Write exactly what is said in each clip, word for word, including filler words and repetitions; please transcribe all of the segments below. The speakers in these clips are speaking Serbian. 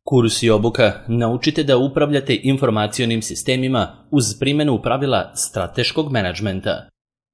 Kurs i obuka naučite da upravljate informacionim sistemima uz primjenu pravila strateškog menadžmenta.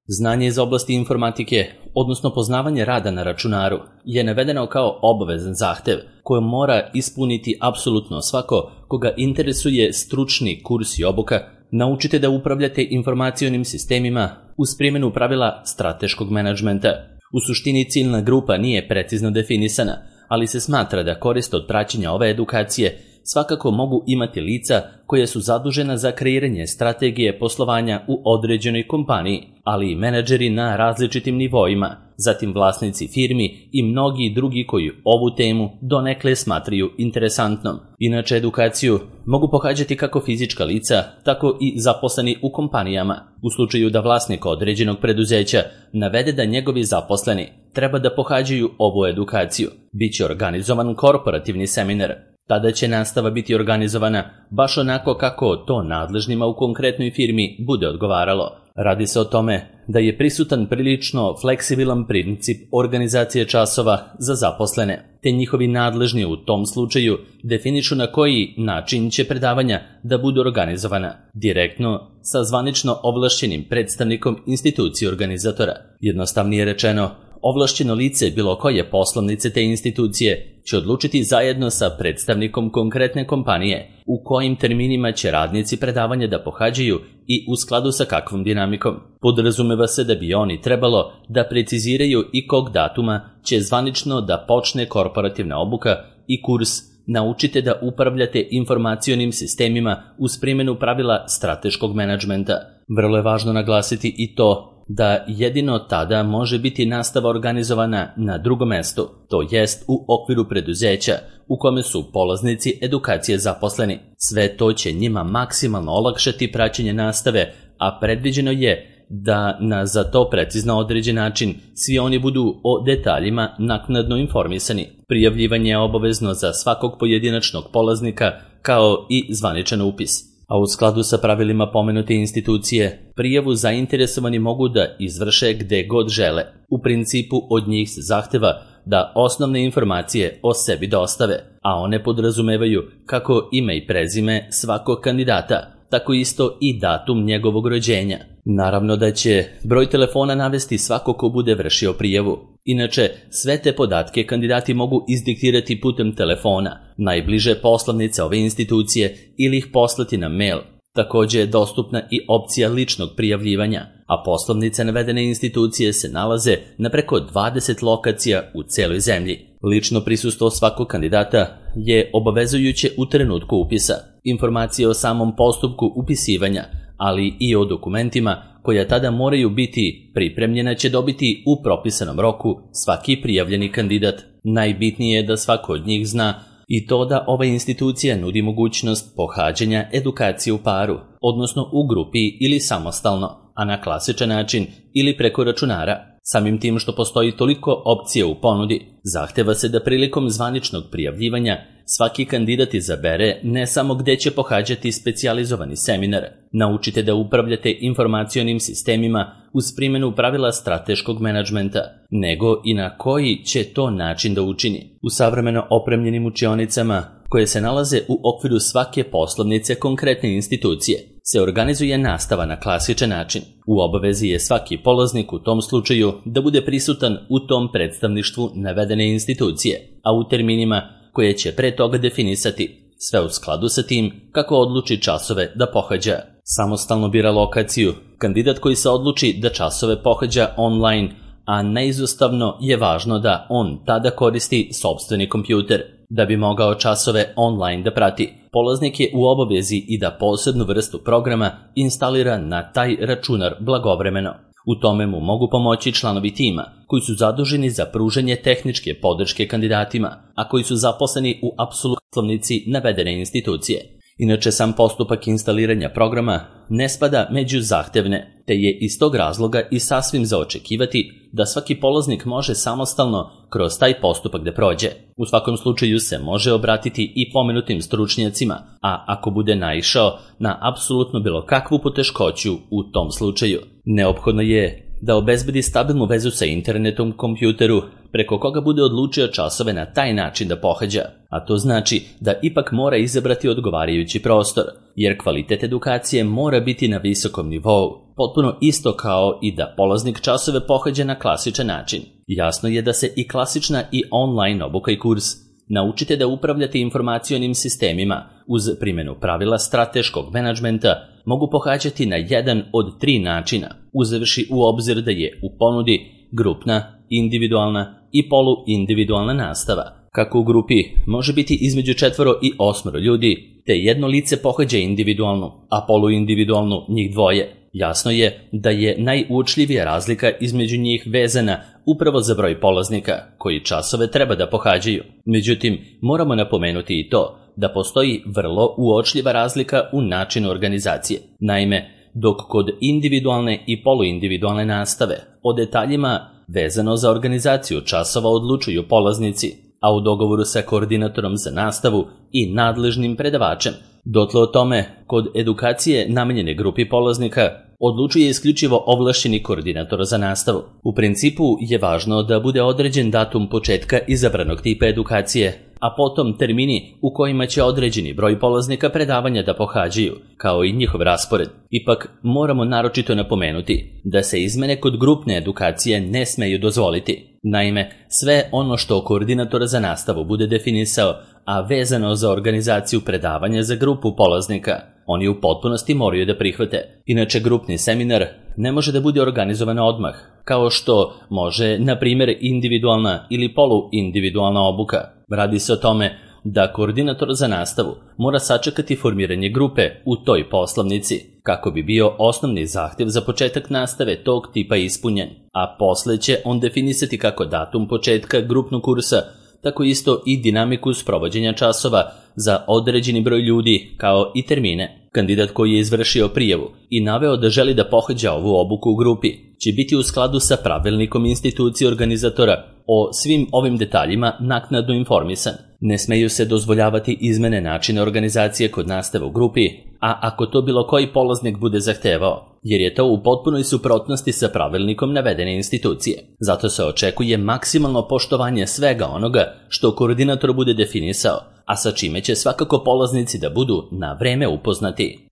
Znanje iz oblasti informatike, odnosno poznavanje rada na računaru, je navedeno kao obavezan zahtev koji mora ispuniti apsolutno svako koga interesuje stručni kurs i obuka. Naučite da upravljate informacionim sistemima uz primjenu pravila strateškog menadžmenta. U suštini ciljna grupa nije precizno definisana, ali se smatra da korist od praćenja ove edukacije svakako mogu imati lica koja su zadužena za kreiranje strategije poslovanja u određenoj kompaniji, ali i menadžeri na različitim nivoima, zatim vlasnici firmi i mnogi drugi koji ovu temu donekle smatraju interesantnom. Inače, edukaciju mogu pohađati kako fizička lica, tako i zaposleni u kompanijama. U slučaju da vlasnik određenog preduzeća navede da njegovi zaposleni treba da pohađaju ovu edukaciju, biće organizovan korporativni seminar. Tada će nastava biti organizovana baš onako kako to nadležnima u konkretnoj firmi bude odgovaralo. Radi se o tome da je prisutan prilično fleksibilan princip organizacije časova za zaposlene, te njihovi nadležni u tom slučaju definišu na koji način će predavanja da budu organizovana, direktno sa zvanično ovlašćenim predstavnikom institucije organizatora. Jednostavnije rečeno, ovlašćeno lice bilo koje poslovnice te institucije će odlučiti zajedno sa predstavnikom konkretne kompanije u kojim terminima će radnici predavanja da pohađaju i u skladu sa kakvom dinamikom. Podrazumeva se da bi oni trebalo da preciziraju i kog datuma će zvanično da počne korporativna obuka i kurs Naučite da upravljate informacionim sistemima uz primjenu pravila strateškog menadžmenta. Vrlo je važno naglasiti i to da jedino tada može biti nastava organizovana na drugom mestu, to jest u okviru preduzeća u kome su polaznici edukacije zaposleni. Sve to će njima maksimalno olakšati praćenje nastave, a predviđeno je da na za to precizno određen način svi oni budu o detaljima naknadno informisani. Prijavljivanje je obavezno za svakog pojedinačnog polaznika kao i zvaničan upis. A u skladu sa pravilima pomenute institucije, prijavu zainteresovani mogu da izvrše gde god žele. U principu od njih se zahteva da osnovne informacije o sebi dostave, a one podrazumevaju kako ime i prezime svakog kandidata, tako isto i datum njegovog rođenja. Naravno da će broj telefona navesti svako ko bude vršio prijavu. Inače, sve te podatke kandidati mogu izdiktirati putem telefona, najbliže poslovnice ove institucije ili ih poslati na mail. Također je dostupna i opcija ličnog prijavljivanja, a poslovnice navedene institucije se nalaze na preko dvadeset lokacija u celoj zemlji. Lično prisustvo svakog kandidata je obavezujuće u trenutku upisa. Informacije o samom postupku upisivanja, ali i o dokumentima koja tada moraju biti pripremljena će dobiti u propisanom roku svaki prijavljeni kandidat. Najbitnije je da svako od njih zna i to da ova institucija nudi mogućnost pohađanja edukacije u paru, odnosno u grupi ili samostalno, a na klasičan način ili preko računara. Samim tim što postoji toliko opcija u ponudi, zahteva se da prilikom zvaničnog prijavljivanja svaki kandidat izabere ne samo gde će pohađati specijalizovani seminar. Naučite da upravljate informacionim sistemima uz primjenu pravila strateškog menadžmenta, nego i na koji će to način da učini. U savremeno opremljenim učionicama, koje se nalaze u okviru svake poslovnice konkretne institucije, se organizuje nastava na klasičan način. U obavezi je svaki polaznik u tom slučaju da bude prisutan u tom predstavništvu navedene institucije, a u terminima koje će pre toga definisati, sve u skladu sa tim kako odluči časove da pohađa. Samostalno bira lokaciju. Kandidat koji se odluči da časove pohađa online, a neizostavno je važno da on tada koristi sopstveni kompjuter. Da bi mogao časove online da prati, polaznik je u obavezi i da posebnu vrstu programa instalira na taj računar blagovremeno. U tome mu mogu pomoći članovi tima, koji su zaduženi za pružanje tehničke podrške kandidatima, a koji su zaposleni u apsolutnici navedene institucije. Inače, sam postupak instaliranja programa ne spada među zahtevne, te je iz tog razloga i sasvim za očekivati da svaki polaznik može samostalno kroz taj postupak da prođe. U svakom slučaju se može obratiti i pomenutim stručnjacima, a ako bude naišao na apsolutno bilo kakvu poteškoću u tom slučaju, neophodno je da obezbedi stabilnu vezu sa internetom kompjuteru, preko koga bude odlučio časove na taj način da pohađa, a to znači da ipak mora izabrati odgovarajući prostor, jer kvalitet edukacije mora biti na visokom nivou, potpuno isto kao i da polaznik časove pohađa na klasičan način. Jasno je da se i klasična i online obuka i kurs Naučite da upravljate informacionim sistemima uz primjenu pravila strateškog menadžmenta mogu pohađati na jedan od tri načina, uzevši u obzir da je u ponudi grupna, individualna i poluindividualna nastava. Kako u grupi može biti između četvoro i osmoro ljudi, te jedno lice pohađa individualnu, a poluindividualnu njih dvoje. Jasno je da je najuočljivija razlika između njih vezana upravo za broj polaznika koji časove treba da pohađaju. Međutim, moramo napomenuti i to da postoji vrlo uočljiva razlika u načinu organizacije. Naime, dok kod individualne i poluindividualne nastave o detaljima vezano za organizaciju časova odlučuju polaznici, a u dogovoru sa koordinatorom za nastavu i nadležnim predavačem, dotle o tome kod edukacije namenjene grupi polaznika odlučuje isključivo ovlašćeni koordinator za nastavu. U principu je važno da bude određen datum početka izabranog tipa edukacije, a potom termini u kojima će određeni broj polaznika predavanja da pohađaju, kao i njihov raspored. Ipak moramo naročito napomenuti da se izmene kod grupne edukacije ne smeju dozvoliti. Naime, sve ono što koordinator za nastavu bude definisao, a vezano za organizaciju predavanja za grupu polaznika, oni u potpunosti moraju da prihvate. Inače, grupni seminar ne može da bude organizovan odmah, kao što može, na primjer, individualna ili poluindividualna obuka. Radi se o tome da koordinator za nastavu mora sačekati formiranje grupe u toj poslovnici, kako bi bio osnovni zahtjev za početak nastave tog tipa ispunjen, a posle će on definisati kako datum početka grupnog kursa, tako isto i dinamiku sprovođenja časova za određeni broj ljudi, kao i termine. Kandidat koji je izvršio prijavu i naveo da želi da pohađa ovu obuku u grupi će biti u skladu sa pravilnikom institucije organizatora o svim ovim detaljima naknadno informisan. Ne smeju se dozvoljavati izmene načina organizacije kod nastave u grupi, a ako to bilo koji polaznik bude zahtevao, jer je to u potpunoj suprotnosti sa pravilnikom navedene institucije. Zato se očekuje maksimalno poštovanje svega onoga što koordinator bude definisao, a sa čime će svakako polaznici da budu na vreme upoznati.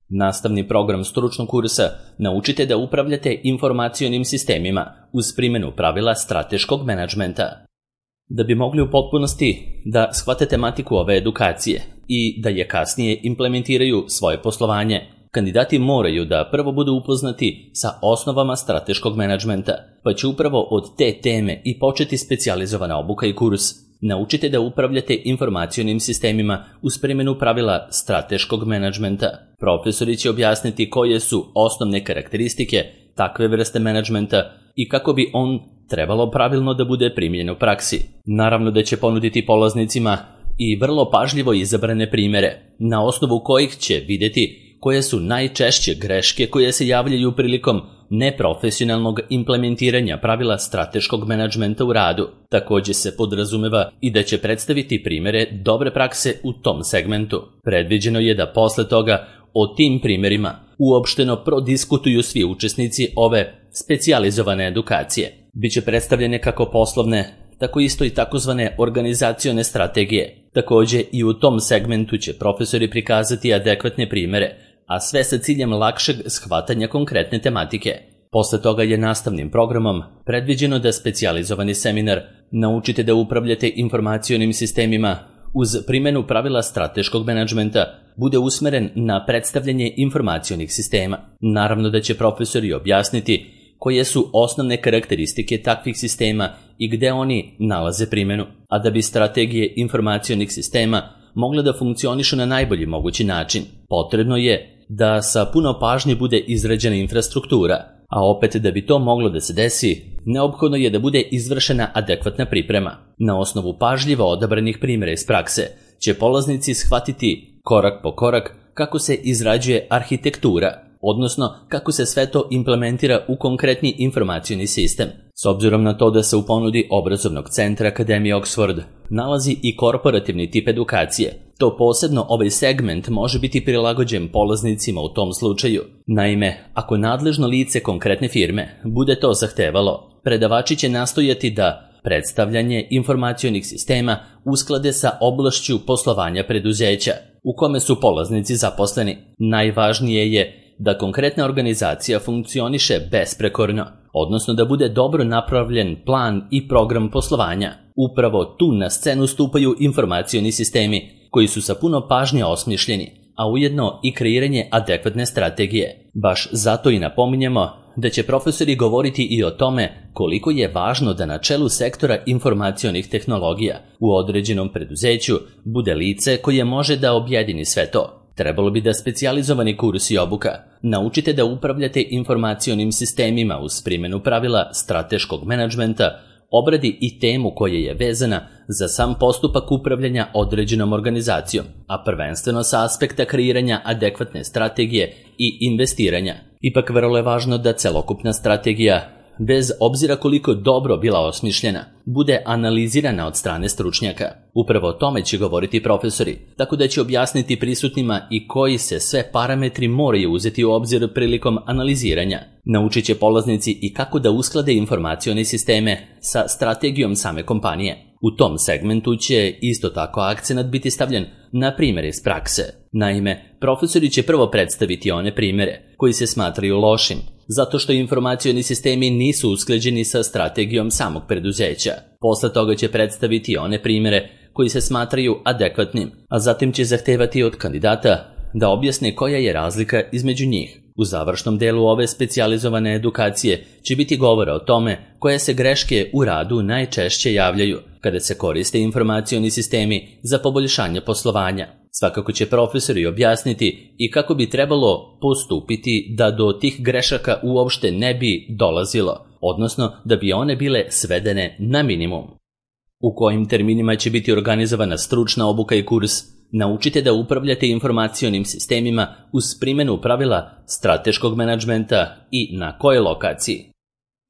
Nastavni program stručnog kursa Naučite da upravljate informacionim sistemima uz primjenu pravila strateškog menadžmenta. Da bi mogli u potpunosti da shvate tematiku ove edukacije i da je kasnije implementiraju svoje poslovanje, kandidati moraju da prvo budu upoznati sa osnovama strateškog menadžmenta, pa će upravo od te teme i početi specijalizovana obuka i kurs. Naučite da upravljate informacionim sistemima uz primjenu pravila strateškog menadžmenta. Profesori će objasniti koje su osnovne karakteristike takve vrste menadžmenta i kako bi on trebalo pravilno da bude primljen u praksi. Naravno da će ponuditi polaznicima i vrlo pažljivo izabrane primjere, na osnovu kojih će vidjeti koje su najčešće greške koje se javljaju prilikom neprofesionalnog implementiranja pravila strateškog menadžmenta u radu. Također se podrazumeva i da će predstaviti primjere dobre prakse u tom segmentu. Predviđeno je da posle toga o tim primjerima uopšteno prodiskutuju svi učesnici ove specijalizovane edukacije. Biće predstavljene kako poslovne, tako isto i takozvane organizacione strategije. Također i u tom segmentu će profesori prikazati adekvatne primjere, a sve sa ciljem lakšeg shvatanja konkretne tematike. Posle toga je nastavnim programom predviđeno da specijalizovani seminar Naučite da upravljate informacionim sistemima uz primjenu pravila strateškog menadžmenta bude usmeren na predstavljanje informacionih sistema. Naravno da će profesori objasniti koje su osnovne karakteristike takvih sistema i gde oni nalaze primjenu, a da bi strategije informacionih sistema mogle da funkcionišu na najbolji mogući način, potrebno je da sa puno pažnje bude izrađena infrastruktura, a opet da bi to moglo da se desi, neophodno je da bude izvršena adekvatna priprema. Na osnovu pažljivo odabranih primjera iz prakse će polaznici shvatiti korak po korak kako se izrađuje arhitektura, odnosno kako se sve to implementira u konkretni informacioni sistem. S obzirom na to da se u ponudi obrazovnog centra Akademije Oxford nalazi i korporativni tip edukacije, to posebno ovaj segment može biti prilagođen polaznicima u tom slučaju, Naime, ako nadležno lice konkretne firme bude to zahtevalo, predavači će nastojati da predstavljanje informacionih sistema usklade sa oblašću poslovanja preduzeća u kome su polaznici zaposleni. Najvažnije je da konkretna organizacija funkcioniše besprekorno, odnosno da bude dobro napravljen plan i program poslovanja. Upravo tu na scenu stupaju informacioni sistemi koji su sa puno pažnje osmišljeni, a ujedno i kreiranje adekvatne strategije. Baš zato i napominjemo da će profesori govoriti i o tome koliko je važno da na čelu sektora informacionih tehnologija u određenom preduzeću bude lice koje može da objedini sve to. Trebalo bi da specijalizovani kurs i obuka naučite da upravljate informacionim sistemima uz primjenu pravila strateškog menadžmenta, obradi i temu koja je vezana za sam postupak upravljanja određenom organizacijom, a prvenstveno sa aspekta kreiranja adekvatne strategije i investiranja. Ipak vrlo je važno da celokupna strategija, bez obzira koliko dobro bila osmišljena, bude analizirana od strane stručnjaka. Upravo o tome će govoriti profesori, tako da će objasniti prisutnima i koji se sve parametri moraju uzeti u obzir prilikom analiziranja. Naučit će polaznici i kako da usklade informacione sisteme sa strategijom same kompanije. U tom segmentu će isto tako akcenat biti stavljen na primjere iz prakse. Naime, profesori će prvo predstaviti one primjere koji se smatraju lošim, zato što informacioni sistemi nisu usklađeni sa strategijom samog preduzeća. Posle toga će predstaviti one primjere koji se smatraju adekvatnim, a zatim će zahtevati od kandidata da objasne koja je razlika između njih. U završnom delu ove specijalizovane edukacije će biti govora o tome koje se greške u radu najčešće javljaju kada se koriste informacioni sistemi za poboljšanje poslovanja. Svakako će profesori objasniti i kako bi trebalo postupiti da do tih grešaka uopšte ne bi dolazilo, odnosno da bi one bile svedene na minimum. U kojim terminima će biti organizovana stručna obuka i kurs, naučite da upravljate informacionim sistemima uz primjenu pravila strateškog menadžmenta i na kojoj lokaciji.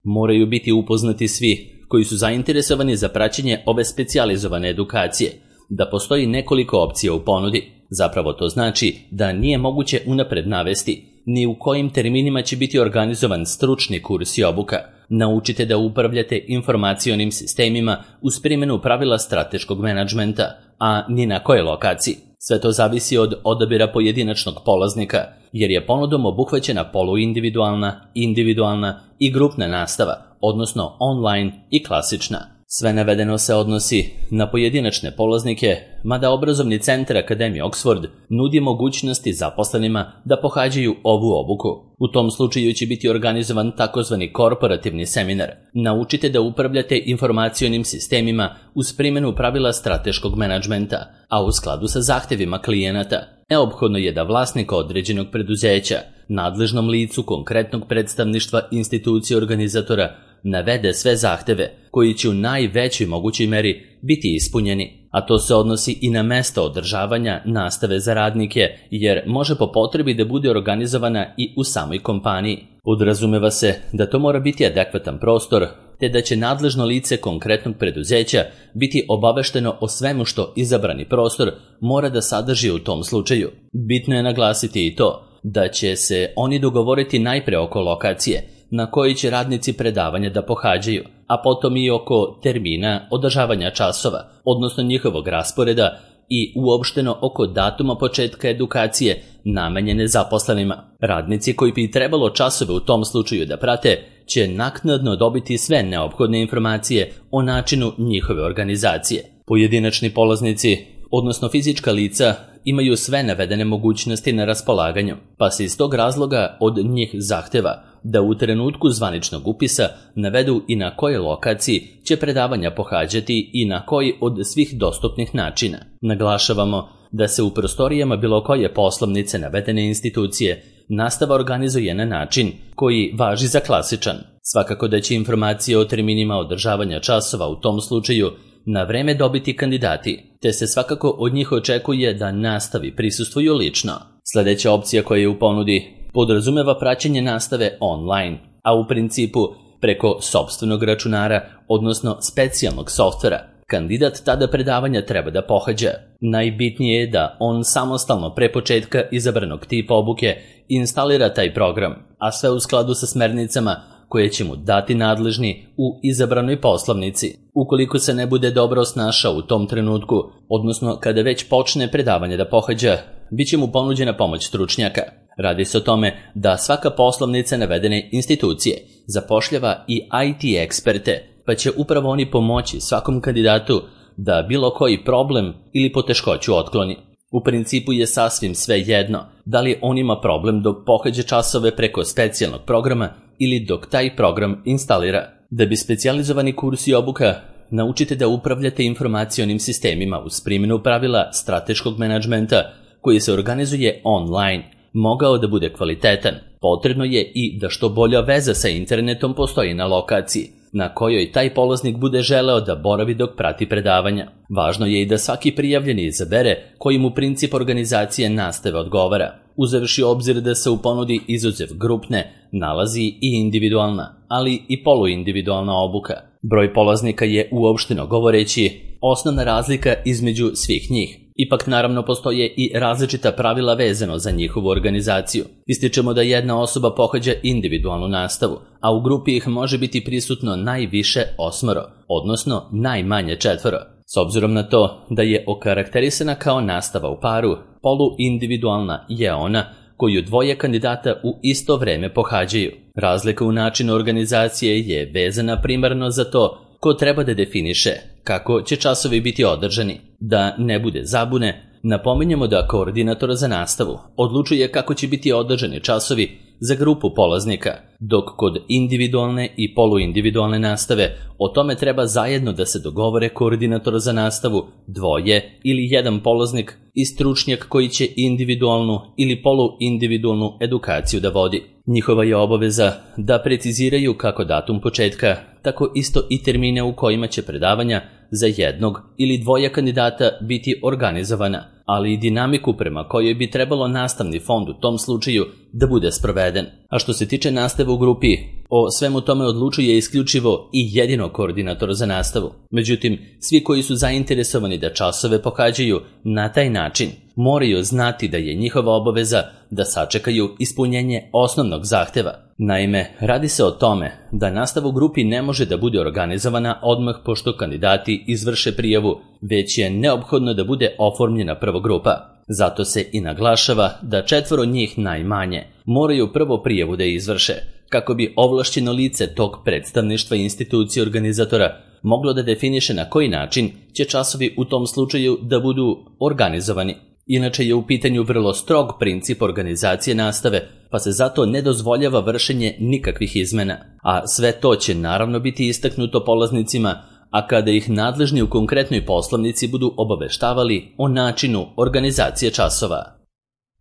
Moraju biti upoznati svi koji su zainteresovani za praćenje ove specijalizovane edukacije, da postoji nekoliko opcija u ponudi. Zapravo to znači da nije moguće unapred navesti ni u kojim terminima će biti organizovan stručni kurs i obuka. Naučite da upravljate informacionim sistemima uz primjenu pravila strateškog menadžmenta, a ni na kojoj lokaciji. Sve to zavisi od odabira pojedinačnog polaznika, jer je ponudom obuhvaćena poluindividualna, individualna i grupna nastava, odnosno online i klasična. Sve navedeno se odnosi na pojedinačne polaznike, mada obrazovni centar Akademije Oxford nudi mogućnosti zaposlenima da pohađaju ovu obuku. U tom slučaju će biti organizovan takozvani korporativni seminar. Naučite da upravljate informacionim sistemima uz primjenu pravila strateškog menadžmenta, a u skladu sa zahtevima klijenata. Neophodno je da vlasnik određenog preduzeća, nadležnom licu konkretnog predstavništva institucije organizatora, navede sve zahteve koji će u najvećoj mogućoj meri biti ispunjeni, a to se odnosi i na mesto održavanja nastave za radnike, jer može po potrebi da bude organizovana i u samoj kompaniji. Podrazumeva se da to mora biti adekvatan prostor, te da će nadležno lice konkretnog preduzeća biti obavešteno o svemu što izabrani prostor mora da sadrži u tom slučaju. Bitno je naglasiti i to da će se oni dogovoriti najpre oko lokacije na koji će radnici predavanja da pohađaju, a potom i oko termina održavanja časova, odnosno njihovog rasporeda i uopšteno oko datuma početka edukacije namenjene zaposlenima. Radnici koji bi trebalo časove u tom slučaju da prate će naknadno dobiti sve neophodne informacije o načinu njihove organizacije. Pojedinačni polaznici, odnosno fizička lica, imaju sve navedene mogućnosti na raspolaganju, pa se iz tog razloga od njih zahteva da u trenutku zvaničnog upisa navedu i na kojoj lokaciji će predavanja pohađati i na koji od svih dostupnih načina. Naglašavamo da se u prostorijama bilo koje poslovnice navedene institucije nastava organizuje na način koji važi za klasičan. Svakako da će informacije o terminima održavanja časova u tom slučaju na vreme dobiti kandidati, te se svakako od njih očekuje da nastavi prisustvuju lično. Sljedeća opcija koja je u ponudi podrazumeva praćenje nastave online, a u principu preko sopstvenog računara, odnosno specijalnog softvera. Kandidat tada predavanja treba da pohađa. Najbitnije je da on samostalno pre početka izabranog tipa obuke instalira taj program, a sve u skladu sa smernicama koje će mu dati nadležni u izabranoj poslovnici. Ukoliko se ne bude dobro snašao u tom trenutku, odnosno kada već počne predavanje da pohađa, bit će mu ponuđena pomoć stručnjaka. Radi se o tome da svaka poslovnica navedene institucije zapošljava i I T eksperte, pa će upravo oni pomoći svakom kandidatu da bilo koji problem ili poteškoću otkloni. U principu je sasvim sve jedno da li on ima problem dok pohađa časove preko specijalnog programa ili dok taj program instalira. Da bi specijalizovani kurs i obuka naučite da upravljate informacionim sistemima uz primjenu pravila strateškog menadžmenta koji se organizuje online, mogao da bude kvalitetan, potrebno je i da što bolja veza sa internetom postoji na lokaciji na kojoj taj polaznik bude želeo da boravi dok prati predavanja. Važno je i da svaki prijavljeni izabere koji mu princip organizacije nastave odgovara, uzevši obzir da se u ponudi izuzev grupne nalazi i individualna, ali i poluindividualna obuka. Broj polaznika je uopšteno govoreći osnovna razlika između svih njih. Ipak naravno postoje i različita pravila vezano za njihovu organizaciju. Ističemo da jedna osoba pohađa individualnu nastavu, a u grupi ih može biti prisutno najviše osmoro, odnosno najmanje četvoro. S obzirom na to da je okarakterisana kao nastava u paru, poluindividualna je ona koju dvoje kandidata u isto vreme pohađaju. Razlika u načinu organizacije je vezana primarno za to ko treba da definiše kako će časovi biti održani. Da ne bude zabune, napominjemo da koordinator za nastavu odlučuje kako će biti održani časovi za grupu polaznika, dok kod individualne i poluindividualne nastave o tome treba zajedno da se dogovore koordinator za nastavu, dvoje ili jedan polaznik i stručnjak koji će individualnu ili poluindividualnu edukaciju da vodi. Njihova je obaveza da preciziraju kako datum početka, tako isto i termine u kojima će predavanja za jednog ili dvoje kandidata biti organizovana, ali i dinamiku prema kojoj bi trebalo nastavni fond u tom slučaju da bude sproveden. A što se tiče nastave u grupi, o svemu tome odlučuje isključivo i jedino koordinator za nastavu. Međutim, svi koji su zainteresovani da časove pohađaju na taj način moraju znati da je njihova obaveza da sačekaju ispunjenje osnovnog zahteva. Naime, radi se o tome da nastava u grupi ne može da bude organizovana odmah pošto kandidati izvrše prijavu, već je neophodno da bude oformljena prvo grupa. Zato se i naglašava da četvoro njih najmanje moraju prvo prijavu da izvrše, kako bi ovlašćeno lice tog predstavništva institucije organizatora moglo da definiše na koji način će časovi u tom slučaju da budu organizovani. Inače je u pitanju vrlo strog princip organizacije nastave, pa se zato ne dozvoljava vršenje nikakvih izmena. A sve to će naravno biti istaknuto polaznicima, a kada ih nadležni u konkretnoj poslovnici budu obaveštavali o načinu organizacije časova.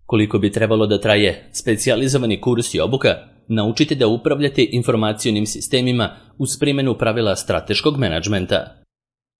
Koliko bi trebalo da traje specijalizovani kurs i obuka, naučite da upravljate informacionim sistemima uz primjenu pravila strateškog menadžmenta.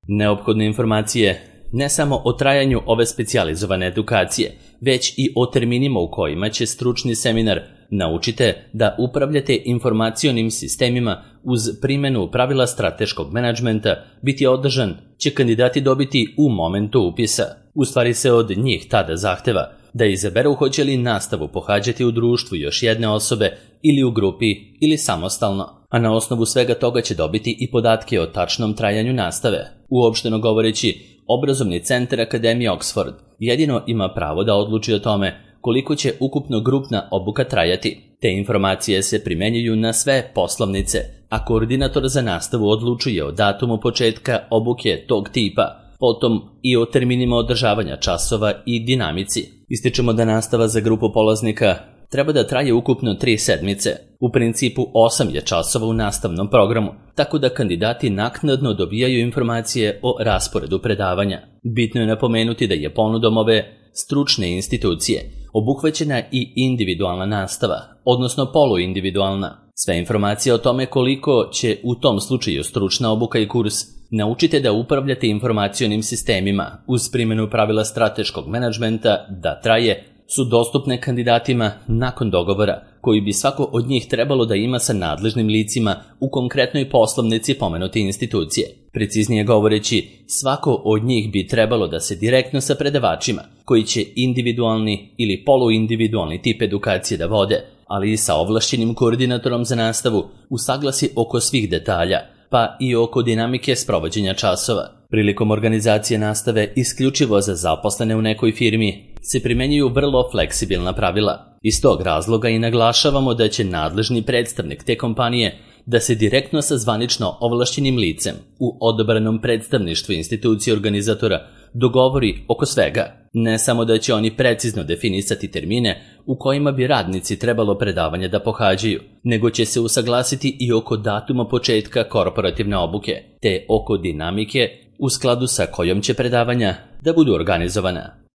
Neophodne informacije ne samo o trajanju ove specijalizovane edukacije, već i o terminima u kojima će stručni seminar naučite da upravljate informacionim sistemima uz primjenu pravila strateškog menadžmenta biti održan će kandidati dobiti u momentu upisa. U stvari se od njih tada zahteva da izaberu hoće li nastavu pohađati u društvu još jedne osobe ili u grupi ili samostalno, a na osnovu svega toga će dobiti i podatke o tačnom trajanju nastave. Uopšteno govoreći, Obrazovni centar Akademije Oxford jedino ima pravo da odluči o tome koliko će ukupno grupna obuka trajati. Te informacije se primenjuju na sve poslovnice, a koordinator za nastavu odlučuje o datumu početka obuke tog tipa, potom i o terminima održavanja časova i dinamici. Ističemo da nastava za grupu polaznika treba da traje ukupno tri sedmice. U principu osam je časova u nastavnom programu, tako da kandidati naknadno dobijaju informacije o rasporedu predavanja. Bitno je napomenuti da je ponudom ove stručne institucije obuhvaćena i individualna nastava, odnosno poluindividualna. Sve informacije o tome koliko će u tom slučaju stručna obuka i kurs naučite da upravljate informacionim sistemima uz primjenu pravila strateškog menadžmenta da traje su dostupne kandidatima nakon dogovora koji bi svako od njih trebalo da ima sa nadležnim licima u konkretnoj poslovnici pomenute institucije. Preciznije govoreći, svako od njih bi trebalo da se direktno sa predavačima, koji će individualni ili poluindividualni tip edukacije da vode, ali i sa ovlašćenim koordinatorom za nastavu, usaglasi oko svih detalja, pa i oko dinamike sprovođenja časova. Prilikom organizacije nastave isključivo za zaposlene u nekoj firmi se primenjuju vrlo fleksibilna pravila. Iz tog razloga i naglašavamo da će nadležni predstavnik te kompanije da se direktno sa zvanično ovlašćenim licem u odabranom predstavništvu institucije organizatora dogovori oko svega. Ne samo da će oni precizno definisati termine u kojima bi radnici trebalo predavanje da pohađaju, nego će se usaglasiti i oko datuma početka korporativne obuke, te oko dinamike u skladu sa kojom će predavanja da budu organizovana.